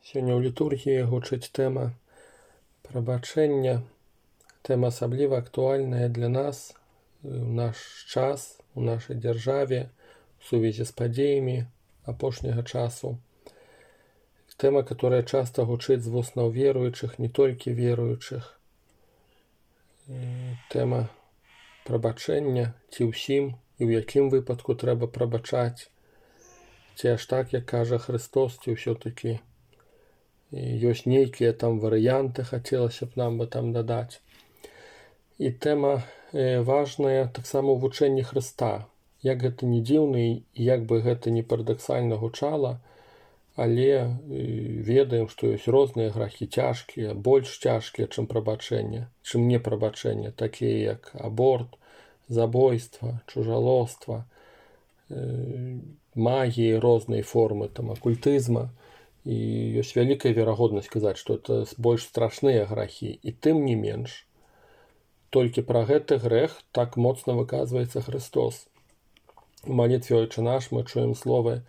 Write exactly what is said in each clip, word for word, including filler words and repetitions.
Сёння ў літургіі гучыць тэма прабачэння, тэма асабліва актуальная для нас у наш час, у нашай дзяржаве, у сувязі з падзеямі апошняга часу. Тэма, которая часта гучыць з вуснаў веруючых, не толькі веруючых. Тэма прабачэння, ці ўсім і ў якім выпадку трэба прабачаць, ці аж так, як кажа Христос, ці ўсё-такі ёсць нейкія там варыянты, хацелася б нам бы там дадаць. І тэма важная таксама ў вучэнні Хрыста. Як гэта не дзіўна і як бы гэта не парадаксальна гучала, але ведаем, што ёсць розныя грахі цяжкія, больш цяжкія, чым прабачэнне, чым не прабачэнне, такія як аборт, забойства, чужалоства, магіі рознай формы, там акультызма. І ёсць вялікая верагоднасць казаць, што это больш страшныя грахі, і тым не менш. Толькі пра гэты грэх так моцна выказваецца Христос. У малітве «Отче наш» мы чуем словы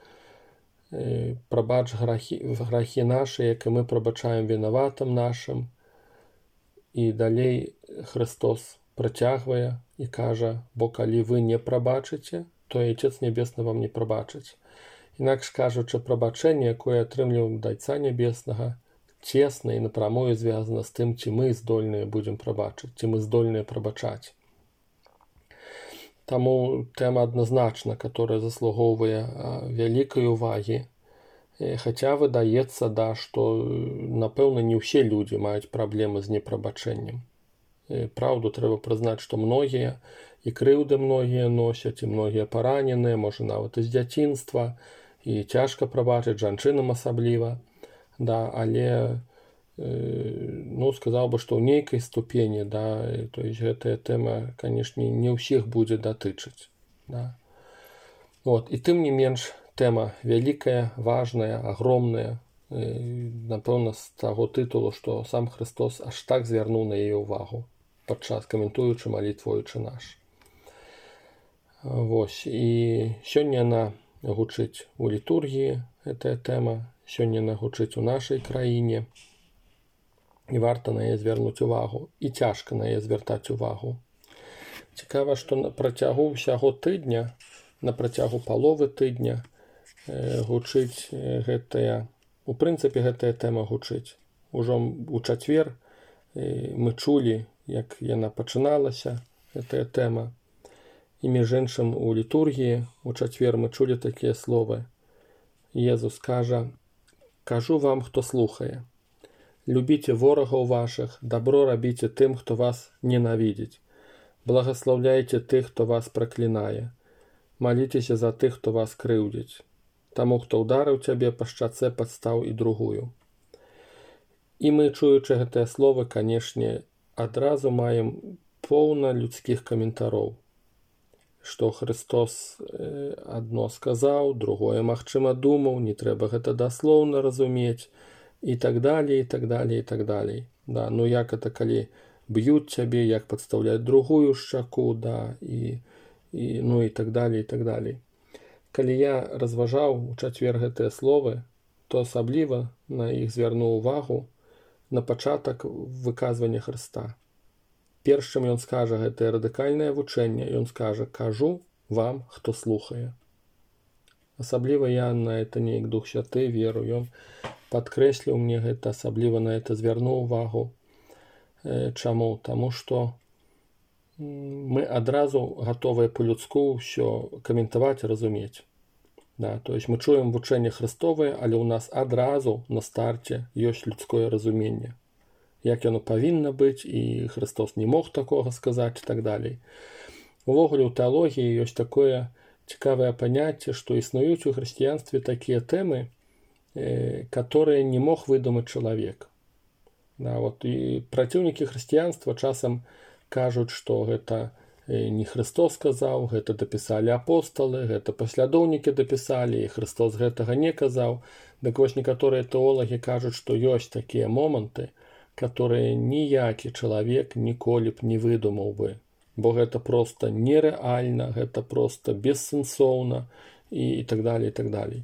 «Прабач грахі, грахі нашы, як і мы прабачаем вінаватым нашым». І далей Христос працягвае і кажа: «Бо калі вы не прабачыце, то і Отец Небесны вам не прабачыць». Інакш кажучы, прабачэнне, якое атрымліваем ад Айца Нябеснага, цесна і напрамую звязана з тым, ці мы здольныя будзем прабачыць, ці мы здольныя прабачаць. Таму тэма адназначна, которая заслугоўвае вялікай увагі, хаця выдаецца, да, што, напэўна, не ўсе людзі маюць праблемы з непрабачэннем. Праўду трэба прызнаць, што многія, і крыўды многія носяць, і многія параненыя, можа нават і з дзяцінства, і цяжка прабачыць, жанчынам асабліва, да, але, ну, сказаў бы, што ў нейкай ступені, да, то есть гэтая тэма, канешне, не ўсіх будзе датычыць, да. Вот, і тым не менш, тэма вялікая, важная, агромная, напэўна, з таго тытулу, што сам Христос аж так звярнуў на яе ўвагу, падчас каментуючы малітву «Отче наш». Вось, і сёння яна гучыць у літургіі, гэтая тэма, сёння яна гучыць у нашай краіне, і варта на яе звярнуць увагу, і цяжка на яе звяртаць увагу. Цікава, што на працягу ўсяго тыдня, на працягу паловы тыдня гучыць гэтая, у прынцыпе, гэтая тэма гучыць. Ужо ў чацвер мы чулі, як яна пачыналася, гэтая тэма. І між іншым у літургіі у чацвер мы чулі такія словы. Езус кажа: «Кажу вам, хто слухае, любіце ворагаў вашых, дабро рабіце тым, хто вас ненавідзіць, благаслаўляйце тых, хто вас праклінае, маліцеся за тых, хто вас крыўдзіць, таму, хто ўдарыў цябе па шчацэ, падстаў і другую». І мы, чуючы гэтыя словы, канешне, адразу маем поўна людскіх каментароў, што Христос адно сказаў, другое, магчыма, думаў, не трэба гэта даслоўна разумець, і так далей, і так далей, і так далей. Да, ну як это, калі б'юць цябе, як падстаўляць другую шчаку, да, і, і, ну і так далей, і так далей. Калі я разважаў у чацвер гэтыя словы, то асабліва на іх звярнуў увагу на пачатак выказвання Хрыста. Перш чым ён скажа гэтае радыкальнае вучэнне, ён скажа: «Кажу вам, хто слухае». Асабліва я на это неяк Дух Святы веру, ён падкрэсліў мне гэта, асабліва на это звярнуў увагу. Чаму? Таму што мы адразу гатовыя па-людску ўсё каментаваць і разумець. Да, то есть мы чуем вучэнне Христовае, але ў нас адразу на старце ёсць людское разуменне. Як яно павінна быць, і Христос не мог такога сказаць, і так далей. Увогуле ў тэалогіі ёсць такое цікавае паняцце, што існуюць у хрысціянстве такія тэмы, которые не мог выдумаць чалавек. Да, вот, і праціўнікі хрысціянства часам кажуць, што гэта не Христос сказаў, гэта дапісалі апосталы, гэта паслядоўнікі дапісалі, і Христос гэтага не казаў. Дык вось некаторыя тэолагі кажуць, што ёсць такія моманты, которые ніякі чалавек ніколі б не выдумаў бы, бо гэта проста нерэальна, гэта проста бессэнсоўна, і, і так далей, і так далей.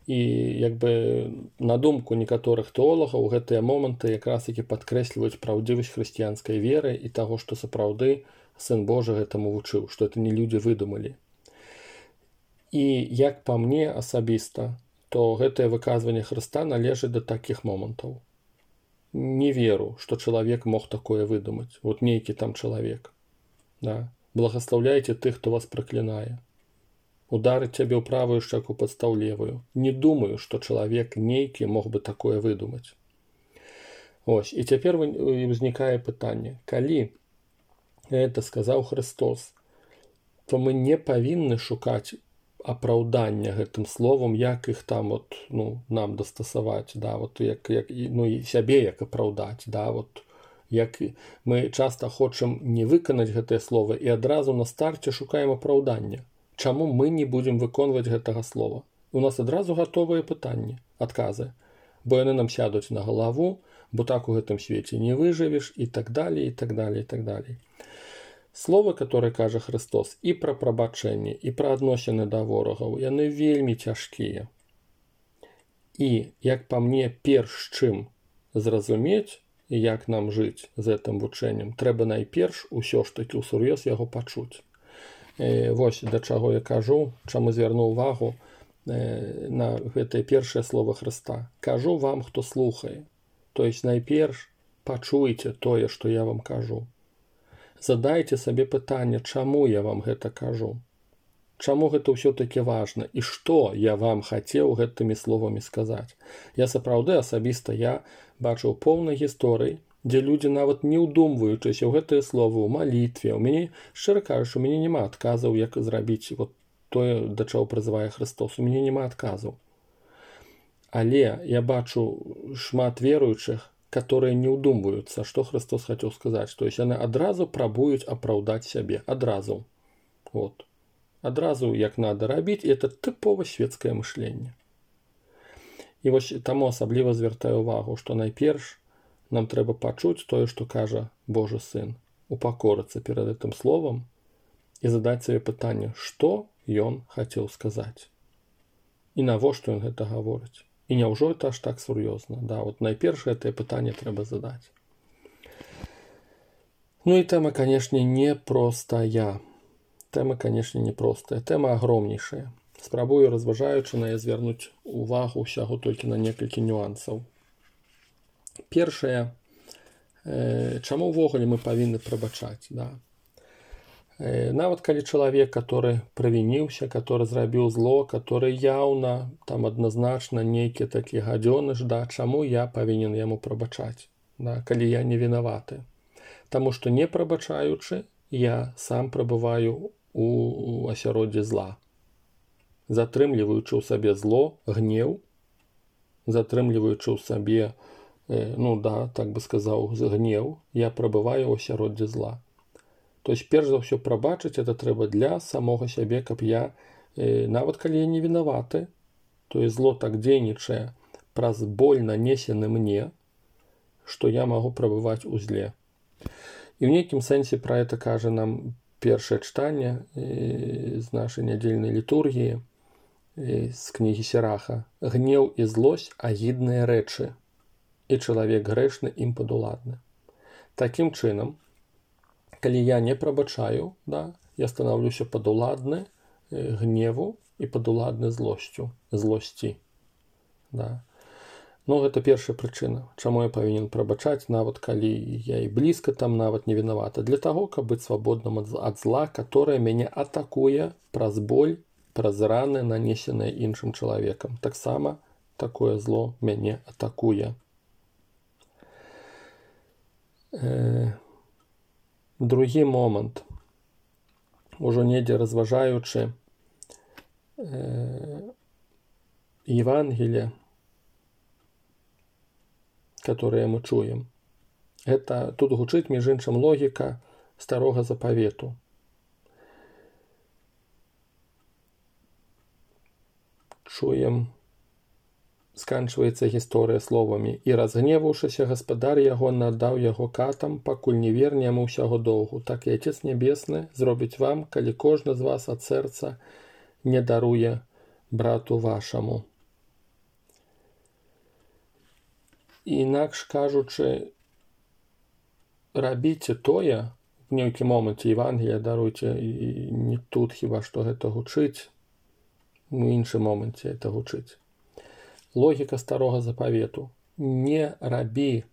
І як бы на думку некаторых тэолагаў гэтыя моманты якраз такі падкрэсліваюць праўдзівасць хрысціянскай веры і таго, што сапраўды Сын Божы гэтаму вучыў, што это не людзі выдумалі. І як па мне асабіста, то гэтае выказванне Хрыста належыць да такіх момантаў. Не веру, што чалавек мог такое выдумаць. Вот нейкі там чалавек. Да? Благаслаўляйце тых, хто вас праклінае. Ударыць цябе ў правую шчаку падстаў левую. Не думаю, што чалавек нейкі мог бы такое выдумаць. Ось, і цяпер узнікае пытанне. Калі гэта сказаў Христос, то мы не павінны шукаць апраўдання гэтым словам, як іх там вот, ну, нам дастасаваць, да, вот, як, як, ну, і сябе як апраўдаць, да, вот, як мы часта хочам не выканаць гэтае слово і адразу на старце шукаем апраўдання. Чаму мы не будзем выконваць гэтага слова? У нас адразу гатовыя пытанні, адказы, бо яны нам сядуць на галаву, бо так у гэтым свеце не выжывеш, і так далее, і так далее, і так далее. Словы, которые кажа Христос, і пра прабачэнне, і пра адносіны да ворагаў, яны вельмі цяжкія. І, як па мне, перш чым зразумець, як нам жыць з гэтым вучэннем, трэба найперш усё ж такі ўсур'ёз яго пачуць. Э, вось да чаго я кажу, чаму звярну ўвагу э, на гэтае першае слово Хрыста. Кажу вам, хто слухае. То есть найперш пачуйце тое, што я вам кажу. Задайце сабе пытанне, чаму я вам гэта кажу. Чаму гэта ўсё-такі важна і што я вам хацеў гэтымі словамі сказаць. Я сапраўды асабіста я бачыў поўна гісторый, дзе людзі нават не ўдумваючыся ў гэтыя словы ў малітве. У мяне, шчыра кажучы, у мяне няма адказаў, як зрабіць вот тое, да чаго прызывае Христос. У мяне няма адказаў. Але я бачу шмат веруючых, которые не ўдумваюцца, што Христос хацеў сказаць. То есть яны адразу прабуюць апраўдаць сябе. Адразу. Вот. Адразу як надо рабіць, і это тыпова светскае мышленне. І вось таму асабліва звяртаю увагу, што найперш нам трэба пачуць тое, што кажа Божы Сын, упакорыцца перад гэтым словам і задаць сабе пытанне, што ён хацеў сказаць. І навошта ён гэта гаворыць. І няўжо это аж так сур'ёзна. Да, вот найперш гэтае пытанне трэба задаць. Ну і тэма, канешне, непростая. Тэма, канешне, непростая. Тэма агромнейшая. Спрабую, разважаючы на яе, звярнуць увагу ўсяго толькі на некалькі нюансаў. Першае, э, чаму ўвогуле мы павінны прабачаць, да? Э, нават калі чалавек, который правініўся, который зрабіў зло, который яўна, там адназначна нейкі такі гадзёныш, да, чаму я павінен яму прабачаць, да, калі я не вінаваты? Таму што не прабачаючы, я сам прабываю у, у асяроддзі зла. Затрымліваючы ў сабе зло, гнеў, затрымліваючы ў сабе, ну да, так бы сказаў, гнеў, я прабываю ў асяроддзі зла. То есть, перш за ўсё прабачыць, это трэба для самога сябе, каб я, э, нават калі я не вінаваты, то есть зло так дзейнічае праз боль нанесены мне, што я магу прабываць у зле. І ў нейкім сэнсе пра гэта кажа нам першае чытанне э, з нашай нядзельнай літургіі, э, з кнігі Сераха. Гнеў і злосць агідныя рэчы, і чалавек грэшны ім падуладны. Такім чынам, калі я не прабачаю, да, я станаўлюся падуладны э, гневу і падуладны злосцю, злосці. Да. Ну, гэта першая прычына, чаму я павінен прабачаць, нават калі я і блізка там нават не вінавата. Для таго, каб быць свабодным ад зла, которое мяне атакуе праз боль, праз раны, нанесеныя іншым чалавекам. Таксама такое зло мяне атакуе. Другі момант, ужо недзе разважаючы Евангелие, которое мы чуем. Это тут гучыць, між іншым, логіка старога запавету. Чуем, сканчваецца гісторыя словамі: «І разгневаўшыся гаспадар яго надаў яго катам, пакуль не верне яму ўсяго доўгу. Так і Отец Небесны зробіць вам, калі кожны з вас ад сэрца не даруе брату вашаму». інакш кажучы, рабіце тое, в нейкім моманце Евангелія, даруйце, і не тут хіба што гэта гучыць, у іншым моманце это гучыць. Логіка старога запавету. Не рабі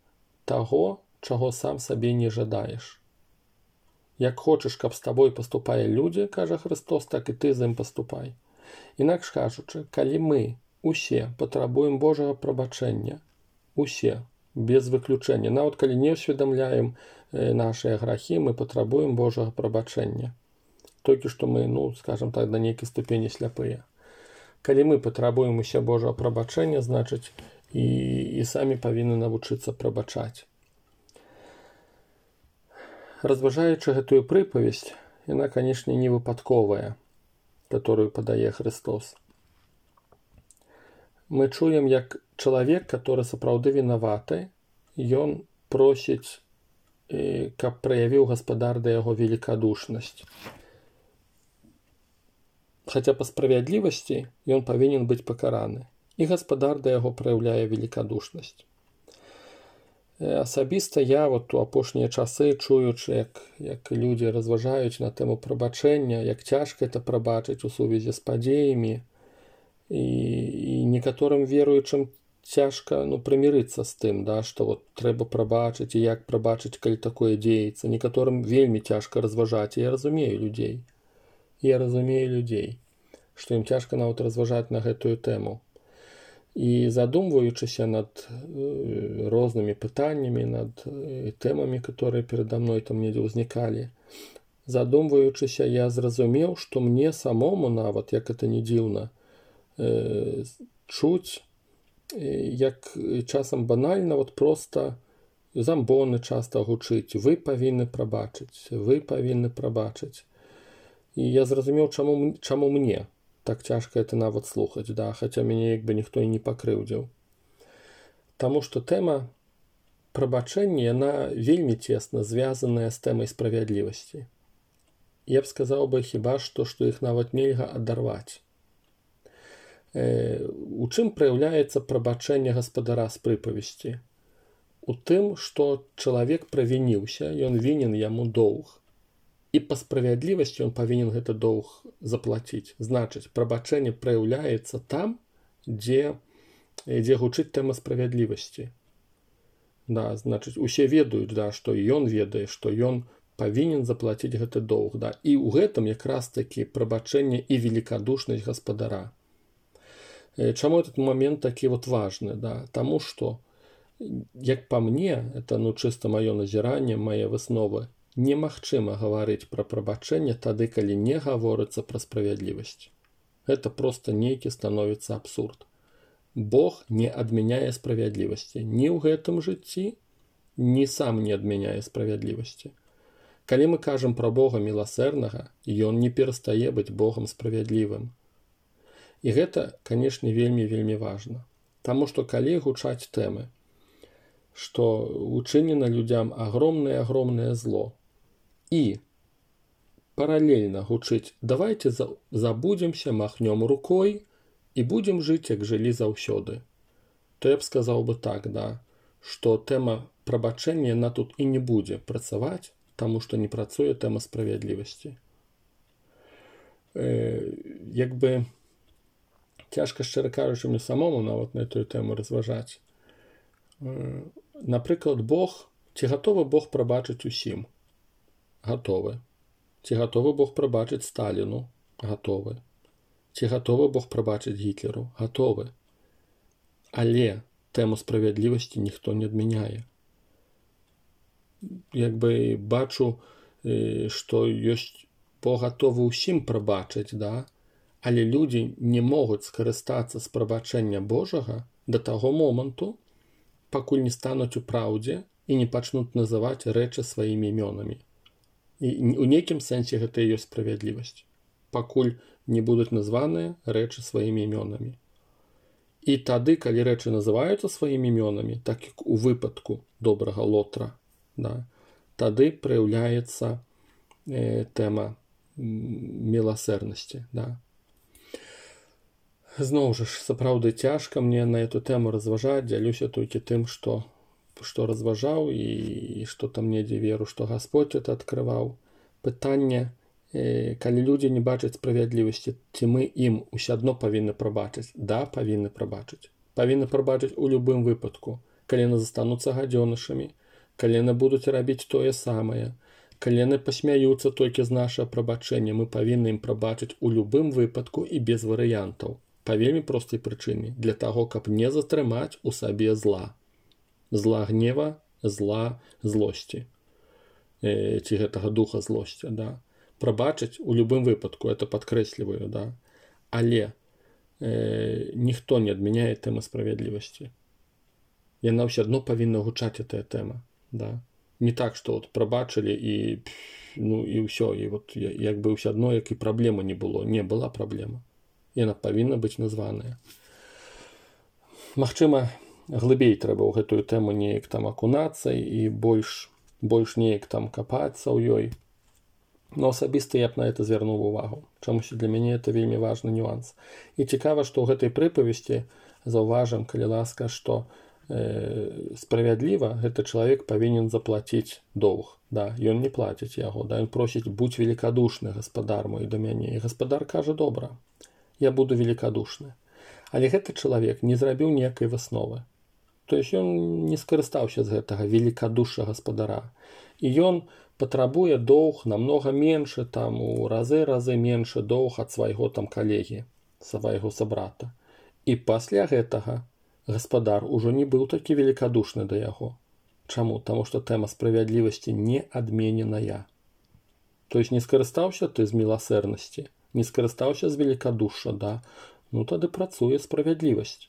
таго, чаго сам сабе не жадаеш. Як хочаш, каб з табой паступалі людзі, кажа Христос, так і ты з ім паступай. Інакш кажучы, калі мы усе патрабуем Божага прабачэння, усе, без выключэння, нават калі не ўсведамляем нашыя грахі, мы патрабуем Божага прабачэння. Толькі што мы, ну, скажам так, да нейкай ступені сляпыя. Калі мы патрабуем усе Божага прабачэння, значыць, і, і самі павінны навучыцца прабачаць. Разважаючы гэтую прыпавесць, яна, канешне, не выпадковая, которую падае Христос. Мы чуем, як чалавек, который сапраўды вінаваты, ён просіць, каб праявіў гаспадар да яго великадушнасць. Хаця па справядлівасці ён павінен быць пакараны, і гаспадар да яго праяўляе великадушнасць. Асабіста я вот у апошнія часы, чуючы, як, як людзі разважаюць на тэму прабачэння, як цяжка это прабачыць у сувязі з падзеямі, і, і некаторым веруючым цяжка, ну, прымірыцца з тым, да, што вот трэба прабачыць, і як прабачыць, калі такое дзеецца. Некаторым вельмі цяжка разважаць, і я разумею людзей. Я разумею людзей, што ім цяжка нават разважаць на гэтую тэму. І задумваючыся над рознымі пытаннямі, над тэмамі, которые перада мной там недзе ўзнікалі, задумваючыся, я зразумеў, што мне самому нават, як это не дзіўна, чуць, як часам банальна, вот просто замбоны часта гучыць, вы павінны прабачыць, вы павінны прабачыць. І я зразумеў, чаму, чаму мне так цяжка это нават слухаць, да, хаця мяне як бы ніхто і не пакрыўдзіў. Таму што тэма прабачэння, яна вельмі цесна звязаная з тэмай справядлівасці. Я б сказаў бы хіба што, што іх нават нельга адарваць. Э, у чым праяўляецца прабачэнне гаспадара з прыпавесці? У тым, што чалавек правініўся, ён вінен яму доўг. І па справядлівасці ён павінен гэта доўг заплаціць. Значыць, прабачэнне праяўляецца там, дзе, дзе гучыць тэма справядлівасці. Да, значыць, усе ведаюць, да, што ён ведае, што ён павінен заплаціць гэты доўг. Да. І ў гэтым якраз такі прабачэнне і великадушнасць гаспадара. Чаму этот момент такі вот важны? Да? Таму што, як па мне, это ну, чыста маё назіранне, мае высновы, немагчыма гаварыць пра прабачэнне тады, калі не гаворыцца пра справядлівасць. Гэта проста нейкі становіцца абсурд. Бог не адмяняе справядлівасці ні ў гэтым жыцці, ні сам не адмяняе справядлівасці. Калі мы кажам пра Бога міласэрнага, ён не перастае быць Богам справядлівым. І гэта, канешне, вельмі-вельмі важна. Таму што калі гучаць тэмы, што учынена людзям агромнае-агромнае зло, і паралельна гучыць «давайте забудземся, махнём рукой і будзем жыць, як жылі заўсёды», то я б сказаў бы так, да, што тэма прабачэння яна тут і не будзе працаваць, таму што не працуе тэма справядлівасці. Э, як бы цяжка, шчыра кажучы, мне самому нават на эту тэму разважаць. Э, напрыклад, Бог, ці гатовы Бог прабачыць усім? Гатовы. Ці гатовы Бог прабачыць Сталіну? Гатовы. Ці гатовы Бог прабачыць Гітлеру? Гатовы. Але тэму справядлівасці ніхто не адмяняе. Як бы бачу, што ёсць Бог гатовы ўсім прабачыць, да? Але людзі не могуць скарыстацца з прабачэння Божага да таго моманту, пакуль не стануць у праўдзе і не пачнуць называць рэчы сваімі імёнамі. І у нейкім сэнсе гэта і ёсць справядлівасць. Пакуль не будуць названыя рэчы сваімі імёнамі. І тады, калі рэчы называюцца сваімі імёнамі, так як у выпадку добрага Лотра, да, тады праяўляецца э, тэма міласэрнасці. Да. Зноў жа ж, сапраўды цяжка мне на эту тэму разважаць, дзялюся толькі тым, што, што разважаў і што там недзе веру, што Гасподзь это адкрываў. Пытанне, э, калі людзі не бачаць справядлівасці, ці мы ім усё адно павінны прабачыць? Да, павінны прабачыць. Павінны прабачыць у любым выпадку, калі яны застануцца гадзёнышамі, калі яны будуць рабіць тое самае, калі яны пасмяюцца толькі з нашага прабачэння, мы павінны ім прабачыць у любым выпадку і без варыянтаў. Па вельмі простай прычыне, для таго, каб не затрымаць у сабе зла. Зла гнева, зла злосці. Э, ці гэтага духа злосці, да. Прабачыць у любым выпадку, это падкрэсліваю, да. Але э, ніхто не адмяняе тэмы справядлівасці. Яна ўсё адно павінна гучаць, гэтая тэма, да. Не так, што от прабачылі і, ну, і ўсё, і вот як бы ўсё адно, як і праблемы не было. Не, была праблема. Яна павінна быць названая. Магчыма, глыбей трэба ў гэтую тэму неяк там акунацца і больш, больш неяк там капацца ў ёй. Но асабіста я б на это звярнуў увагу. Чамусь для мяне это вельмі важны нюанс. І цікава, што ў гэтай прыпавесці заўважым, калі ласка, што э, справядліва гэты чалавек павінен заплаціць доўг. Да, ён не плаціць яго, да, ён просіць будь великадушны, гаспадар мой, да мяне. І гаспадар кажа, добра, я буду великадушны. Але гэты чалавек не зрабіў ніякай высновы. То есть ён не скарыстаўся з гэтага великадушша гаспадара. І ён патрабуе доўг намнога меншы, там у разы-разы меншы доўг ад свайго там калегі, свайго сабрата. І пасля гэтага гаспадар ужо не быў такі великадушны да яго. Чаму? Таму што тэма справядлівасці не адмененая. То есть не скарыстаўся ты з міласэрнасці, не скарыстаўся з великадушша, да, ну тады працуе справядлівасць.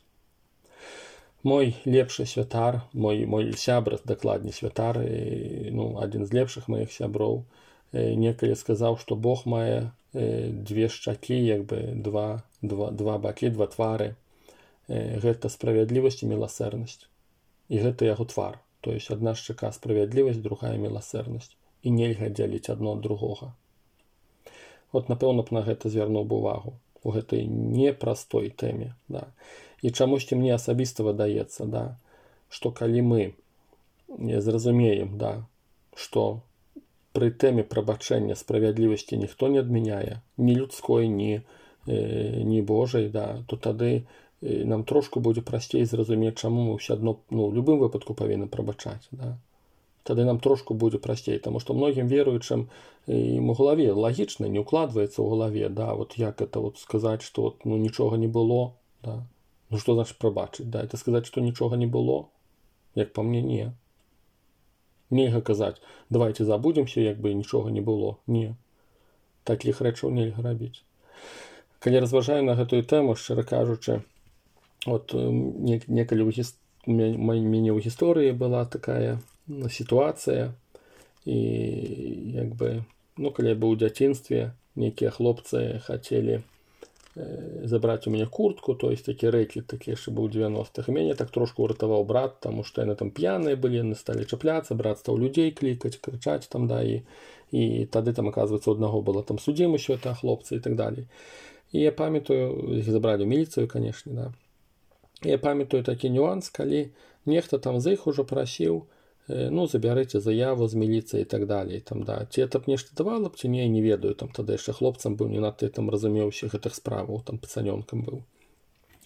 Мой лепшы святар, мой, мой сябр, дакладней святар, і, ну, адзін з лепшых маіх сяброў, э, некалі сказаў, што Бог мае э, две шчакі, як бы два, два, два бакі, два твары. Э, гэта справядлівасць і міласэрнасць. І гэта яго твар. То есть адна шчака справядлівасць, другая міласэрнасць. І нельга дзяліць адно ад другога. От, напэўна, б на гэта звярнуў бы увагу у гэтай непростой тэме, да. І чамусьці мне асабіста выдаецца, да, што калі мы зразумеем, да, што пры тэме прабачэння справядлівасці ніхто не адмяняе, ні людской, ні, э, ні Божай, да, то тады э, нам трошку будзе прасцей зразумець, чаму мы ўсё адно, ну, у любым выпадку павінны прабачаць, да. Тады нам трошку будзе прасцей, таму што многім веруючым ім у галаве лагічна не укладваецца ў галаве, да, вот як это вот сказаць, што вот, ну, нічога не было, да. Ну, што значыць прабачыць, да, это сказаць, што нічога не было? Як па мне, не. Нельга казаць, давайте забудземся, як бы нічога не было. Не. Такіх рэчаў нельга рабіць. Калі разважаю на гэтую тэму, шчыра кажучы, от некалі ў гіс... мяне ў гісторыі была такая сітуацыя, і як бы, ну, калі я быў у дзяцінстве, нейкія хлопцы хацелі э, забраць у мяне куртку, то есть такі рэклік, такі яшчэ быў у дзевяностых. І мяне так трошку ўратаваў брат, таму што яны там п'яныя былі, яны сталі чапляцца, брат стаў людзей клікаць, крычаць там, да, і, і тады там, аказваецца, у аднаго была там судзім усё это, хлопцы і так далей. І я памятаю, іх забралі ў міліцыю, канешне, да. І я памятаю такі нюанс, калі нехта там з іх ужо прасіў, ну, забярыце заяву з міліцыі і так далей, там, да. Ці это б нешта давала б, ці не, не ведаю, там, тады яшчэ хлопцам быў, не надта там разумеў усіх гэтых справаў, там, пацанёнкам быў.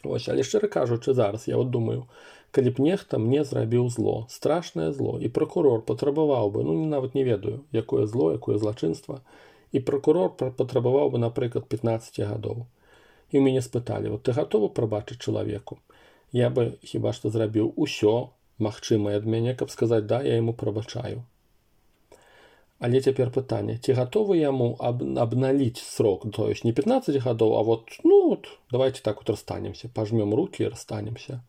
Вось, але шчыра кажучы, зараз я от думаю, калі б нехта мне зрабіў зло, страшнае зло, і пракурор патрабаваў бы, ну, нават не ведаю, якое зло, якое злачынства, і пракурор патрабаваў бы, напрыклад, пятнаццаць гадоў. І ў мяне спыталі, вот ты гатовы прабачыць чалавеку? Я бы хіба што зрабіў усё магчымае ад мяне, каб сказаць, да, я яму прабачаю. Але цяпер пытанне, ці гатовы яму аб, абналіць срок, то есть не пятнаццаць гадоў, а вот, ну, вот, давайте так вот расстанемся, пажмем руки і расстанемся.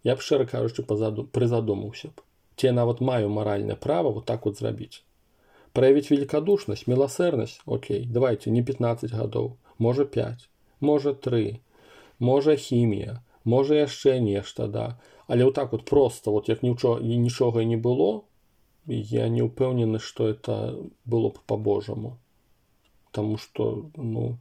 Я б, шчыра кажучы, прызадумаўся б. Ці я нават маю маральнае права вот так вот зрабіць. Праявіць великадушнасць, міласэрнасць, окей, давайте, не пятнаццаць гадоў, можа пяць, можа тры, можа хімія, можа яшчэ нешта, да. Але вот так вот просто, вот як нічога, нічога і не было, я не ўпэўнены, што это было б по-божаму. Таму што, ну,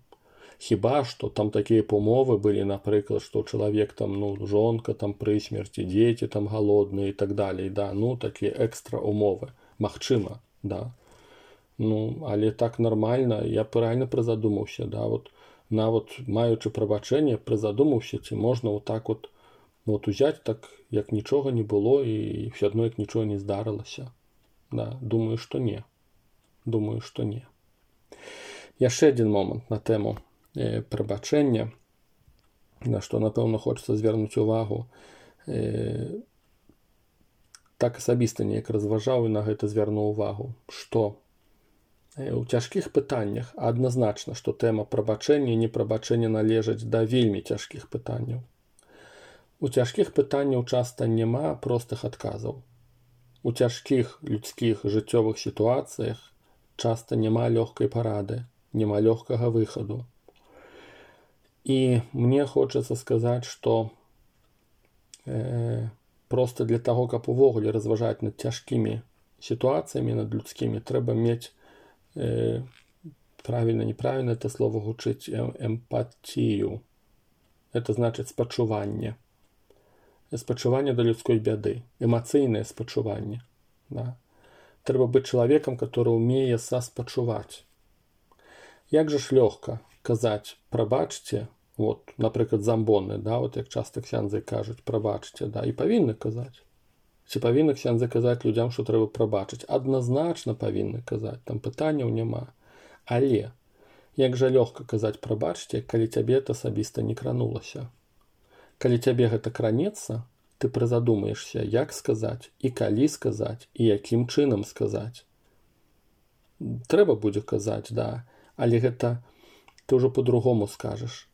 Хіба што там такія памовы былі, напрыклад, што чалавек там, ну, жонка там пры смерці, дзеці там галодныя і так далей, да, ну, такія экстра умовы. Магчыма, да. Ну, але так нармальна, я правільна прызадумаўся, да, вот, нават маючы прабачэнне, прызадумаўся, ці можна вот так вот, вот узяць так, як нічога не было і ўсё адно як нічога не здарылася. Да, думаю, што не. Думаю, што не. Яшчэ адзін момант на тэму э, прабачэння, на што, напэўна, хочацца звярнуць увагу. Э, так асабіста неяк разважаў і на гэта звярнуў увагу, што э, у цяжкіх пытаннях адназначна, што тэма прабачэння і непрабачэння належаць да вельмі цяжкіх пытанняў. У цяжкіх пытанняў часта няма простых адказаў. У цяжкіх людскіх жыццёвых сітуацыях часта няма лёгкай парады, няма лёгкага выхаду. І мне хочацца сказаць, што э, проста для таго, каб увогуле разважаць над цяжкімі сітуацыямі, над людскімі, трэба мець, э, правільна, неправільна это слово гучыць, эмпатію. Это значыць спачуванне. Спачуванне да людской бяды, эмацыйнае спачуванне. Да. Трэба быць чалавекам, который умее саспачуваць. Як жа ж лёгка казаць прабачце, вот, напрыклад, замбоны, да, вот як часта ксяндзы кажуць прабачце, да, і павінны казаць. Ці павінны ксяндзы казаць людзям, што трэба прабачыць? Адназначна павінны казаць, там пытанняў няма. Але як жа лёгка казаць прабачце, калі цябе это асабіста не кранулася. Калі цябе гэта кранецца, ты прызадумаешся, як сказаць, і калі сказаць, і якім чынам сказаць. Трэба будзе казаць, да, але гэта ты ўжо по-другому скажаш,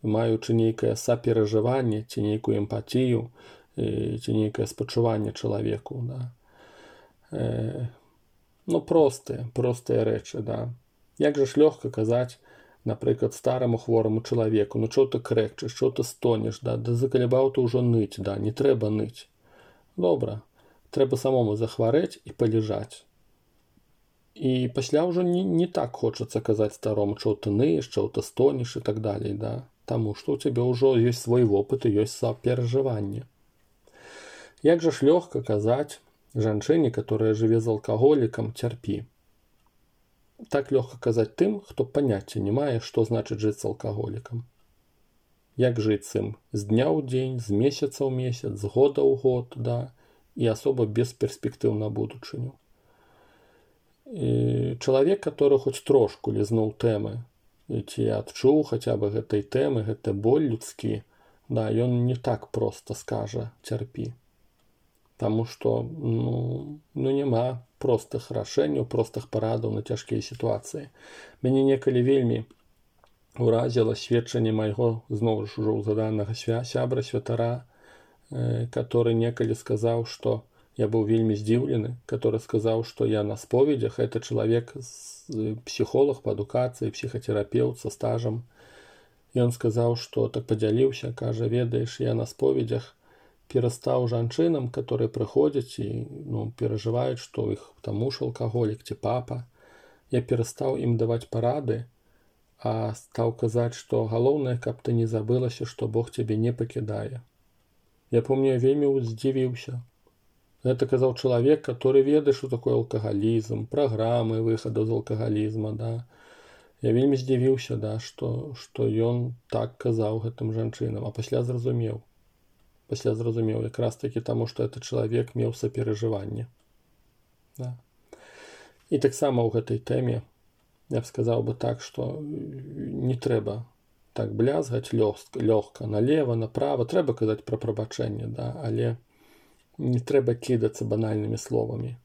маючы нейкае саперажыванне, ці нейкую эмпатію, ці нейкае спачуванне чалавеку, да. Э, ну, простыя, простыя рэчы, да. Як жа ж лёгка казаць, напрыклад, стараму хвораму чалавеку, ну чого ты крэкчаш, чого ты стонеш, да, да закалебаў ты ўжо ныць, да, не трэба ныць. Добра, трэба самому захварэць і палежаць. І пасля ўжо не, не так хочацца казаць старому, чого ты ныеш, чого ты стонеш і так далей, да, таму што ў цябе ўжо ёсць свой вопыт і ёсць саперажыванне. Як жа ж лёгка казаць жанчыне, которая жыве з алкаголікам, цярпі. Так лёгка казаць тым, хто паняцця не мае, што значыць жыць з алкаголікам. Як жыць з ім з дня ў дзень, з месяца ў месяц, з года ў год, да, і асоба без перспектыў на будучыню. І чалавек, который хоць трошку лізнуў тэмы, ці адчуў хаця бы гэтай тэмы, гэта боль людскі, да, ён не так проста скажа цярпі. Таму што, ну, ну няма простых рашэнняў, простых парадаў на цяжкія сітуацыі. Мяне некалі вельмі уразіла сведчанне майго, зноў ж ужо заданага сябра, святара, э, который некалі сказаў, што я быў вельмі здзіўлены, который сказаў, што я на споведях, это чалавек, псіхолог па адукацыі, псіхатэрапеўт са стажам. І ён сказаў, што так падзяліўся, кажа, ведаеш, я на споведях перастаў жанчынам, которые прыходзяць і, ну, перажываюць, што іх там муж алкаголік ці папа. Я перастаў ім даваць парады, а стаў казаць, што галоўнае, каб ты не забылася, што Бог цябе не пакідае. Я помню, я вельмі здзівіўся. Гэта казаў чалавек, который ведае, што такое алкагалізм, праграмы выхаду з алкагалізма, да. Я вельмі здзівіўся, да, што, што ён так казаў гэтым жанчынам, а пасля зразумеў. Пасля зразумеў, якраз такі таму, што этот чалавек меў саперажыванне. Да. І таксама ў гэтай тэме я б сказаў бы так, што не трэба так блязгаць лёгка налева, направа. Трэба казаць пра прабачэнне, да, але не трэба кідацца банальнымі словамі,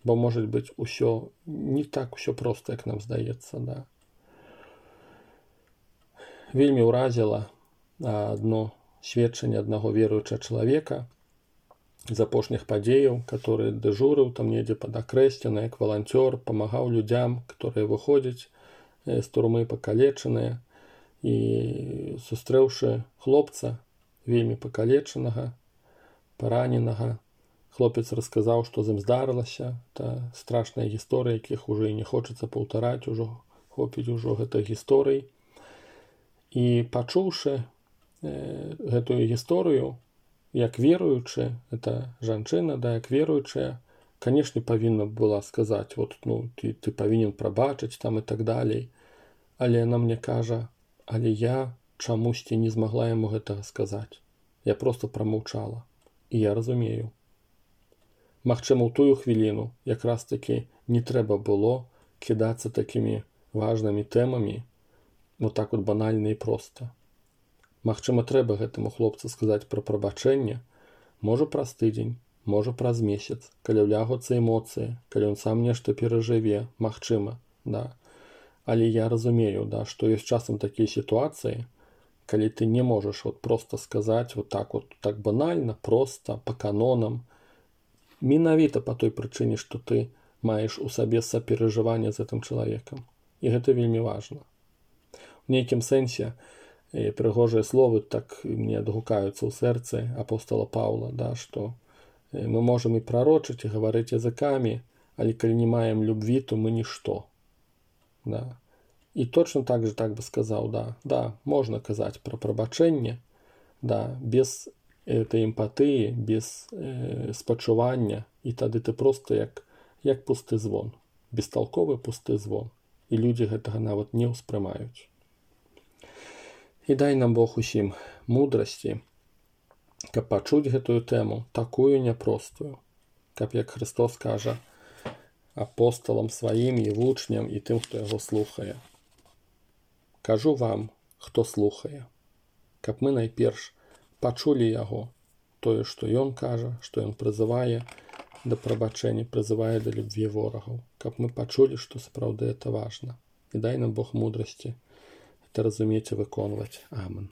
бо, можа быць, усё не так усё проста, як нам здаецца, да. Вельмі ўразіла адно сведчанне аднаго веруючага чалавека з апошніх падзеяў, который дэжурыў там недзе пад Акрэсціна, як валанцёр, памагаў людзям, которые выходзяць з турмы пакалечаныя, і сустрэўшы хлопца вельмі пакалечанага, параненага, хлопец расказаў, што з ім здарылася. Это страшная гісторыя, якіх ужо і не хочацца паўтараць, ужо хопіць ужо гэтых гісторый. І пачуўшы э, гэтую гісторыю, як веруючы, это жанчына, да, як веруючая, канешне, павінна была сказаць, вот, ну, ты, ты павінен прабачыць там і так далей. Але яна мне кажа, але я чамусьці не змагла яму гэтага сказаць. Я проста прамаўчала. І я разумею. Магчыма, у тую хвіліну якраз такі не трэба было кідацца такімі важнымі тэмамі, вот так вот банальна і проста. Магчыма, трэба гэтаму хлопцу сказаць пра прабачэнне, можа праз тыдзень, можа праз месяц, калі ўлягуцца эмоцыі, калі ён сам нешта перажыве, магчыма, да. Але я разумею, да, што ёсць часам такія сітуацыі, калі ты не можаш вот просто сказаць вот так вот, так банальна, проста, па канонам, менавіта па той прычыне, што ты маеш у сабе саперажыванне з гэтым чалавекам. І гэта вельмі важна. У нейкім сэнсе прыгожыя словы так мне адгукаюцца ў сэрцы апостола Паўла, да, што мы можам і прарочыць, і гаварыць языкамі, але калі не маем любві, то мы нішто. Да. І точно так же так бы сказаў, да, да, можна казаць пра прабачэнне, да, без этой эмпатыі, без э, спачування, і тады ты проста як, як пусты звон, бесталковы пусты звон, і людзі гэтага нават не ўспрымаюць. І дай нам Бог усім мудрасці, каб пачуць гэтую тэму, такую няпростую, каб, як Христос кажа, апостолам сваім і вучням і тым, хто яго слухае. Кажу вам, хто слухае, каб мы найперш пачулі яго, тое, што ён кажа, што ён прызывае да прабачэння, прызывае да любві ворагаў, каб мы пачулі, што сапраўды это важна. І дай нам Бог мудрасці это разумець і выконваць. Амен.